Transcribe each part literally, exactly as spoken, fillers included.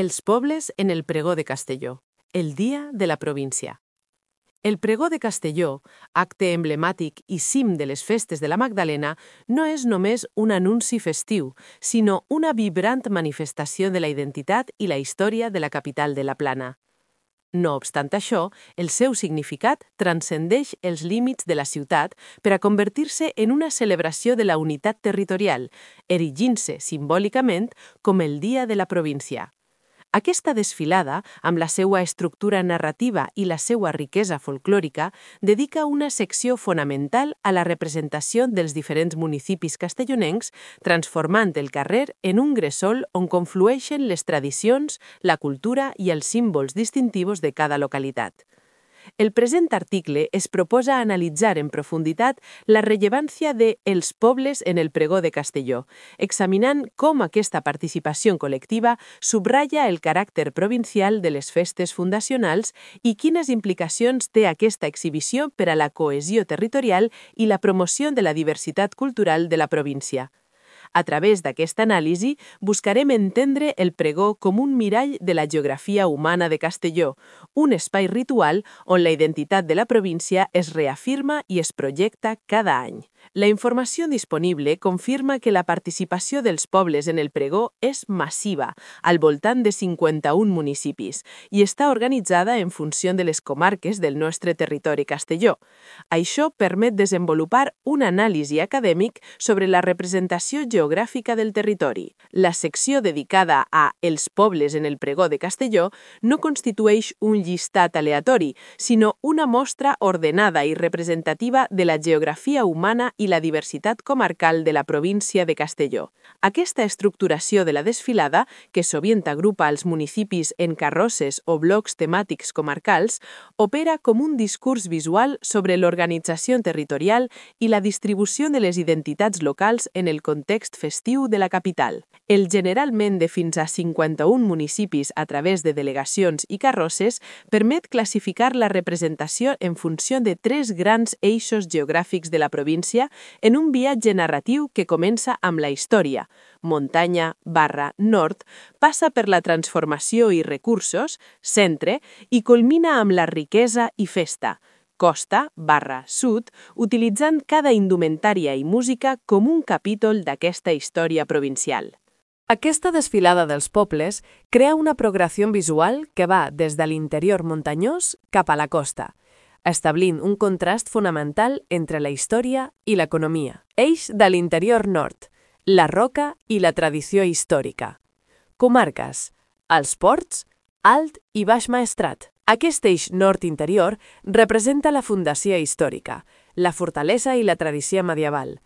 Els pobles en el pregó de Castelló, el dia de la província. El pregó de Castelló, acte emblemàtic i cim de les festes de la Magdalena, no és només un anunci festiu, sinó una vibrant manifestació de la identitat i la història de la capital de la Plana. No obstant això, el seu significat transcendeix els límits de la ciutat per a convertir-se en una celebració de la unitat territorial, erigint-se simbòlicament com el Dia de la Província. Aquesta desfilada, amb la seva estructura narrativa i la seva riquesa folclòrica, dedica una secció fonamental a la representació dels diferents municipis castellonencs, transformant el carrer en un gresol on conflueixen les tradicions, la cultura i els símbols distintius de cada localitat. El present article es proposa analitzar en profunditat la rellevància de els pobles en el pregó de Castelló, examinant com aquesta participació col·lectiva subratlla el caràcter provincial de les festes fundacionals i quines implicacions té aquesta exhibició per a la cohesió territorial i la promoció de la diversitat cultural de la província. A través d'aquesta anàlisi, buscarem entendre el pregó com un mirall de la geografia humana de Castelló, un espai ritual on la identitat de la província es reafirma i es projecta cada any. La informació disponible confirma que la participació dels pobles en el pregó és massiva, al voltant de cinquanta-un municipis, i està organitzada en funció de les comarques del nostre territori castelló. Això permet desenvolupar un anàlisi acadèmic sobre la representació geogràfica del territori. La secció dedicada a Els pobles en el pregó de Castelló no constitueix un llistat aleatori, sinó una mostra ordenada i representativa de la geografia humana i la diversitat comarcal de la província de Castelló. Aquesta estructuració de la desfilada, que sovint agrupa els municipis en carrosses o blocs temàtics comarcals, opera com un discurs visual sobre l'organització territorial i la distribució de les identitats locals en el context festiu de la capital. El generalment de fins a cinquanta-un municipis a través de delegacions i carrosses permet classificar la representació en funció de tres grans eixos geogràfics de la província en un viatge narratiu que comença amb la història, muntanya barra nord, passa per la transformació i recursos, centre, i culmina amb la riquesa i festa, costa barra sud, utilitzant cada indumentària i música com un capítol d'aquesta història provincial. Aquesta desfilada dels pobles crea una progressió visual que va des de l'interior muntanyós cap a la costa, establint un contrast fonamental entre la història i l'economia. Eix de l'interior nord, la roca i la tradició històrica. Comarques, els ports, Alt i Baix Maestrat. Aquest eix nord-interior representa la fundació històrica, la fortalesa i la tradició medieval.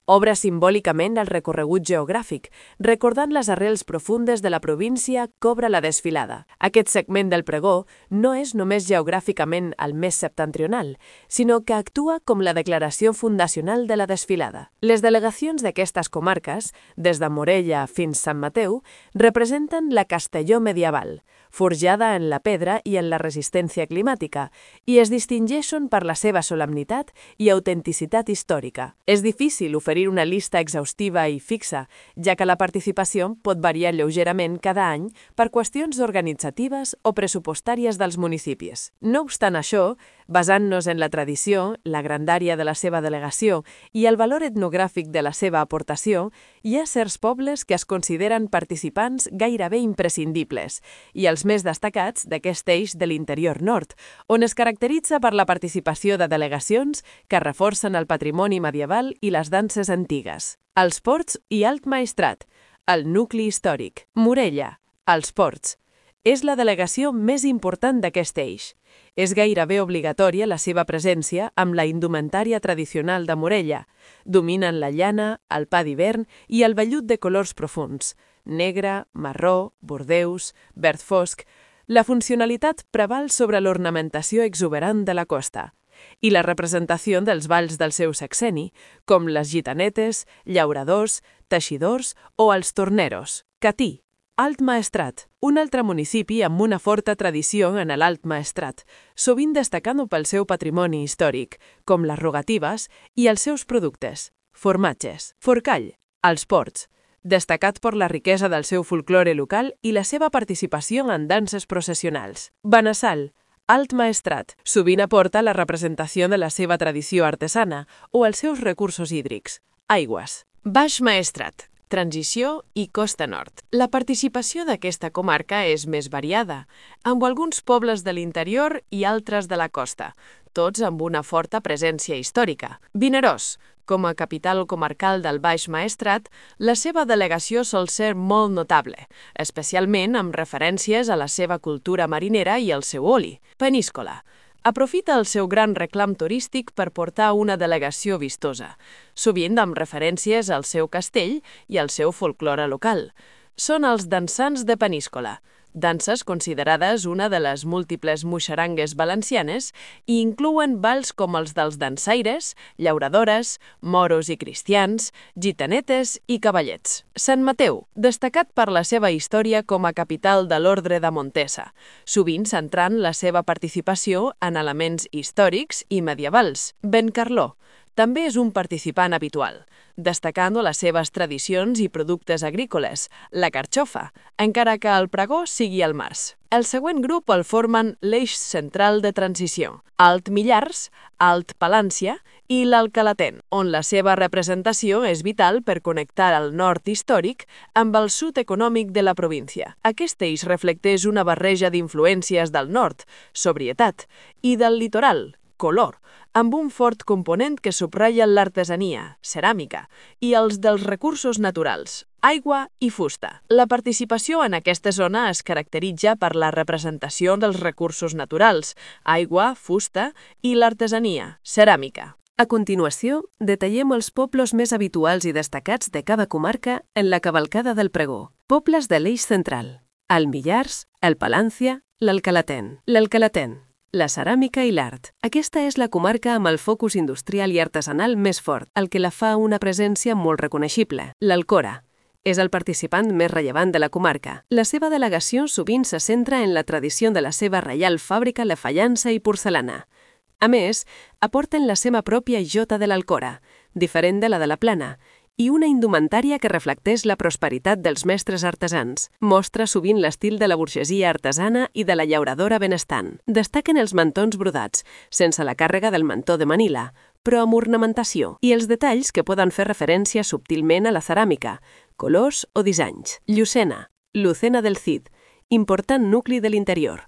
Obre simbòlicament el recorregut geogràfic, recordant les arrels profundes de la província que obre la desfilada. Aquest segment del pregó no és només geogràficament el més septentrional, sinó que actua com la declaració fundacional de la desfilada. Les delegacions d'aquestes comarques, des de Morella fins Sant Mateu, representen la Castelló medieval, forjada en la pedra i en la resistència climàtica, i es distingeixen per la seva solemnitat i autenticitat històrica. És difícil oferir una llista exhaustiva i fixa, ja que la participació pot variar lleugerament cada any per qüestions organitzatives o pressupostàries dels municipis. No obstant això, basant-nos en la tradició, la grandària de la seva delegació i el valor etnogràfic de la seva aportació, hi ha certs pobles que es consideren participants gairebé imprescindibles, i els més destacats d'aquest eix de l'interior nord, on es caracteritza per la participació de delegacions que reforcen el patrimoni medieval i les danses antigues. Els ports i Alt Maestrat, el nucli històric. Morella, els ports. És la delegació més important d'aquest eix. És gairebé obligatòria la seva presència amb la indumentària tradicional de Morella. Dominen la llana, el pa d'hivern i el vellut de colors profunds, negre, marró, bordeus, verd fosc. La funcionalitat preval sobre l'ornamentació exuberant de la costa i la representació dels balls del seu sexeni, com les gitanetes, llauradors, teixidors o els torneros. Catí. Alt Maestrat, un altre municipi amb una forta tradició en l'Alt Maestrat, sovint destacant pel seu patrimoni històric, com les rogatives i els seus productes. Formatges. Forcall, als ports. destacat per la riquesa del seu folklore local i la seva participació en danses processionals. Benassal, alt maestrat, sovint aporta la representació de la seva tradició artesana o els seus recursos hídrics, aigües. Baix Maestrat, transició i costa nord. La participació d'aquesta comarca és més variada, amb alguns pobles de l'interior i altres de la costa, tots amb una forta presència històrica. Vinaròs, com a capital comarcal del Baix Maestrat, la seva delegació sol ser molt notable, especialment amb referències a la seva cultura marinera i el seu oli. Peníscola. Aprofita el seu gran reclam turístic per portar una delegació vistosa, sovint amb referències al seu castell i al seu folklore local. Són els dansants de Peníscola, danses considerades una de les múltiples muixerangues valencianes i inclouen balls com els dels dansaires, llauradores, moros i cristians, gitanetes i cavallets. Sant Mateu, destacat per la seva història com a capital de l'Ordre de Montesa, sovint centrant la seva participació en elements històrics i medievals. Bencarló, també és un participant habitual, destacant les seves tradicions i productes agrícoles, la carxofa, encara que el pregó sigui al març. El següent grup el formen l'eix central de transició, Alt Millars, Alt Palància i l'Alcalatén, on la seva representació és vital per connectar el nord històric amb el sud econòmic de la província. Aquest eix reflecteix una barreja d'influències del nord, sobrietat, i del litoral, color, amb un fort component que subratlla l'artesania, ceràmica, i els dels recursos naturals, aigua i fusta. La participació en aquesta zona es caracteritza per la representació dels recursos naturals, aigua, fusta i l'artesania, ceràmica. A continuació, detallem els pobles més habituals i destacats de cada comarca en la cavalcada del pregó. Pobles de l'eix central: el Millars, el Palància, l'Alcalatén. L'Alcalatén, la ceràmica i l'art. Aquesta és la comarca amb el focus industrial i artesanal més fort, el que la fa una presència molt reconeixible. L'Alcora és el participant més rellevant de la comarca. La seva delegació sovint se centra en la tradició de la seva reial fàbrica de fallança i porcelana. A més, aporten la seva pròpia jota de l'Alcora, diferent de la de la Plana, i una indumentària que reflecteix la prosperitat dels mestres artesans. Mostra sovint l'estil de la burgesia artesana i de la llauradora benestant. Destaquen els mantons brodats, sense la càrrega del mantó de Manila, però amb ornamentació, i els detalls que poden fer referència subtilment a la ceràmica, colors o dissenys. Llucena, Lucena del Cid, important nucli de l'interior.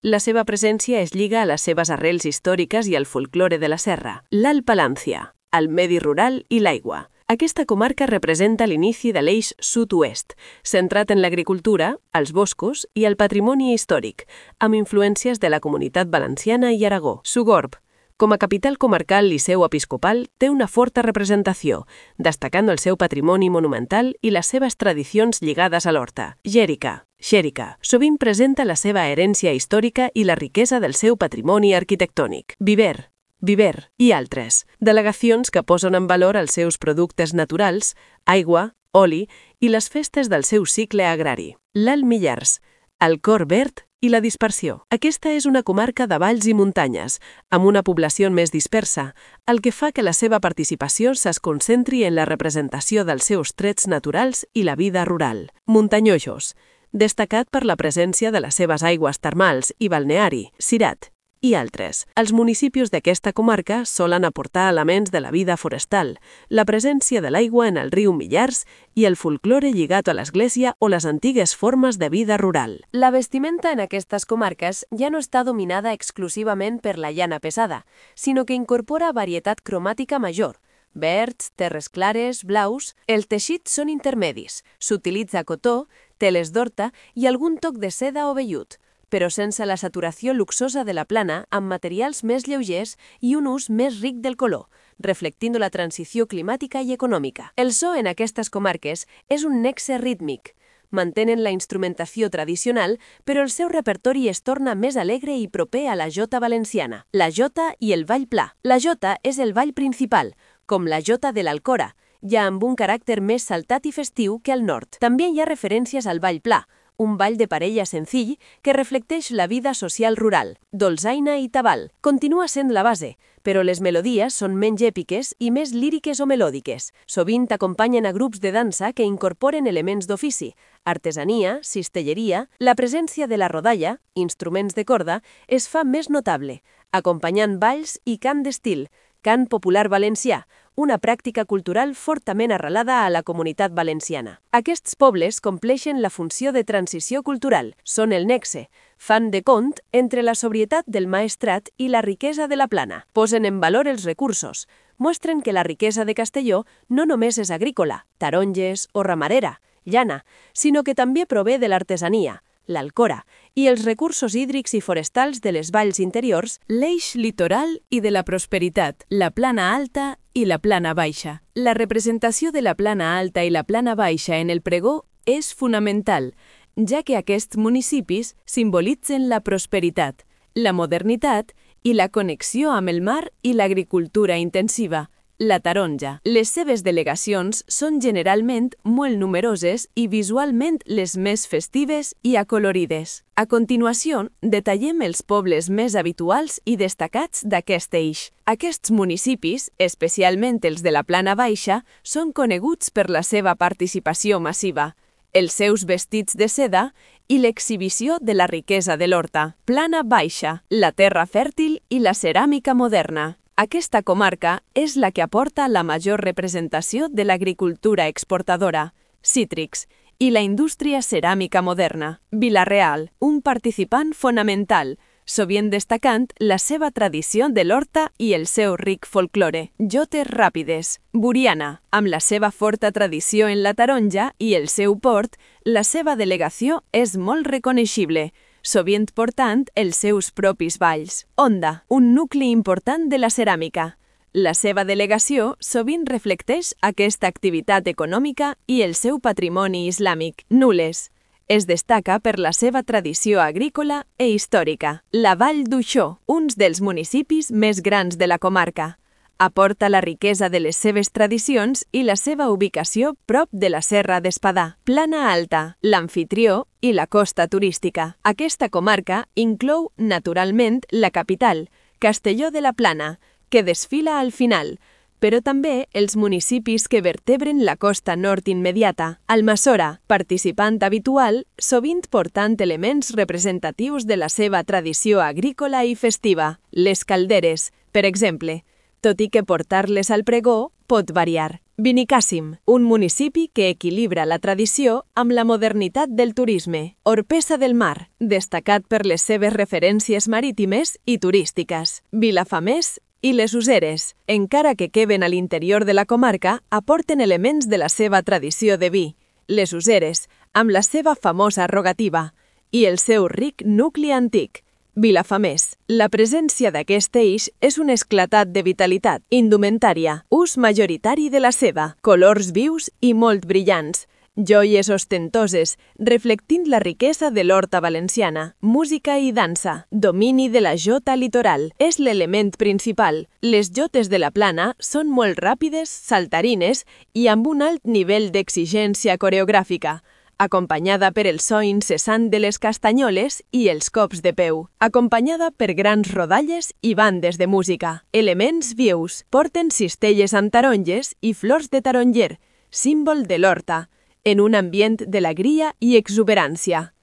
La seva presència es lliga a les seves arrels històriques i al folklore de la serra. L'Alt Palància, el medi rural i l'aigua. Aquesta comarca representa l'inici de l'eix sud-oest, centrat en l'agricultura, els boscos i el patrimoni històric, amb influències de la Comunitat Valenciana i Aragó. Sogorb, com a capital comarcal i seu episcopal, té una forta representació, destacant el seu patrimoni monumental i les seves tradicions lligades a l'horta. Xèrica, Xèrica, sovint presenta la seva herència històrica i la riquesa del seu patrimoni arquitectònic. Viver, Viver i altres, delegacions que posen en valor els seus productes naturals, aigua, oli i les festes del seu cicle agrari. L'Alt Millars, el cor verd i la dispersió. Aquesta és una comarca de valls i muntanyes, amb una població més dispersa, el que fa que la seva participació es concentri en la representació dels seus trets naturals i la vida rural. Muntanyojos, destacat per la presència de les seves aigües termals i balneari, Cirat, i altres. Els municipis d'aquesta comarca solen aportar elements de la vida forestal, la presència de l'aigua en el riu Millars i el folklore lligat a l'església o les antigues formes de vida rural. La vestimenta en aquestes comarques ja no està dominada exclusivament per la llana pesada, sinó que incorpora varietat cromàtica major. Verds, terres clares, blaus. Els teixits són intermedis. S'utilitza cotó, teles d'horta i algun toc de seda o vellut, però sense la saturació luxosa de la plana, amb materials més lleugers i un ús més ric del color, reflectint la transició climàtica i econòmica. El so en aquestes comarques és un nexe rítmic. Mantenen la instrumentació tradicional, però el seu repertori es torna més alegre i proper a la jota valenciana. La jota i el ball pla. La jota és el ball principal, com la jota de l'Alcora, ja amb un caràcter més saltat i festiu que al nord. També hi ha referències al ball pla, un ball de parella senzill que reflecteix la vida social rural. Dolçaina i tabal. Continua sent la base, però les melodies són menys èpiques i més líriques o melòdiques. Sovint acompanyen a grups de dansa que incorporen elements d'ofici, artesania, cistelleria. La presència de la rodalla, instruments de corda, es fa més notable, acompanyant balls i cant d'estil, cant popular valencià, una pràctica cultural fortament arrelada a la comunitat valenciana. Aquests pobles compleixen la funció de transició cultural, són el nexe, fan de pont entre la sobrietat del Maestrat i la riquesa de la Plana. Posen en valor els recursos, mostren que la riquesa de Castelló no només és agrícola, taronges o ramadera, llana, sinó que també prové de l'artesania, l'alcora, i els recursos hídrics i forestals de les valls interiors, l'eix litoral i de la prosperitat, la plana alta i la plana baixa. La representació de la plana alta i la plana baixa en el pregó és fonamental, ja que aquests municipis simbolitzen la prosperitat, la modernitat i la connexió amb el mar i l'agricultura intensiva. La taronja. Les seves delegacions són generalment molt numeroses i visualment les més festives i acolorides. A continuació, detallem els pobles més habituals i destacats d'aquest eix. Aquests municipis, especialment els de la Plana Baixa, són coneguts per la seva participació massiva, els seus vestits de seda i l'exhibició de la riquesa de l'horta. Plana Baixa, la terra fèrtil i la ceràmica moderna. Aquesta comarca és la que aporta la major representació de l'agricultura exportadora, cítrics, i la indústria ceràmica moderna. Vila-real, un participant fonamental, sovint destacant la seva tradició de l'horta i el seu ric folklore. Jotes ràpides. Buriana, amb la seva forta tradició en la taronja i el seu port, la seva delegació és molt reconeixible, sovint portant els seus propis balls. Onda, un nucli important de la ceràmica. La seva delegació sovint reflecteix aquesta activitat econòmica i el seu patrimoni islàmic. Nules. Es destaca per la seva tradició agrícola e històrica. La Vall d'Uixó, un dels municipis més grans de la comarca. Aporta la riquesa de les seves tradicions i la seva ubicació prop de la Serra d'Espadà. Plana Alta, l'amfitrió i la costa turística. Aquesta comarca inclou, naturalment, la capital, Castelló de la Plana, que desfila al final, però també els municipis que vertebren la costa nord immediata. Almassora, participant habitual, sovint portant elements representatius de la seva tradició agrícola i festiva. Les Calderes, per exemple, tot i que portar-les al pregó pot variar. Benicàssim, un municipi que equilibra la tradició amb la modernitat del turisme. Orpesa del Mar, destacat per les seves referències marítimes i turístiques. Vilafamés i les Useres, encara que queben a l'interior de la comarca, aporten elements de la seva tradició de vi. Les Useres, amb la seva famosa rogativa, i el seu ric nucli antic. Vilafamés. La presència d'aquest eix és un esclatat de vitalitat, indumentària, ús majoritari de la seda, colors vius i molt brillants, joies ostentoses, reflectint la riquesa de l'horta valenciana, música i dansa, domini de la jota litoral, és l'element principal. Les jotes de la Plana són molt ràpides, saltarines i amb un alt nivell d'exigència coreogràfica, acompanyada per el so incessant de les castanyoles i els cops de peu, acompanyada per grans rodalles i bandes de música. Elements vius, porten cistelles amb taronges i flors de taronger, símbol de l'horta, en un ambient d'alegria i exuberància.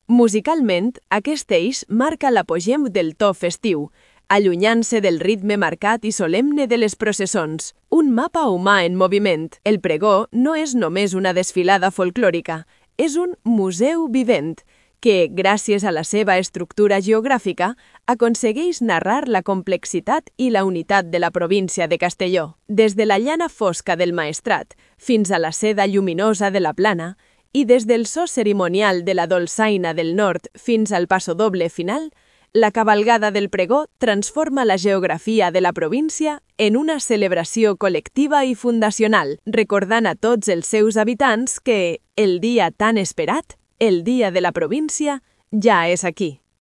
Musicalment, aquest eix marca l'apogeu del to festiu, allunyant-se del ritme marcat i solemne de les processons. Un mapa humà en moviment. El pregó no és només una desfilada folclòrica, és un museu vivent que, gràcies a la seva estructura geogràfica, aconsegueix narrar la complexitat i la unitat de la província de Castelló. Des de la llana fosca del Maestrat fins a la seda lluminosa de la Plana i des del so cerimonial de la dolçaina del nord fins al passodoble final, la cavalgada del pregó transforma la geografia de la província en una celebració col·lectiva i fundacional, recordant a tots els seus habitants que el dia tan esperat, el dia de la província, ja és aquí.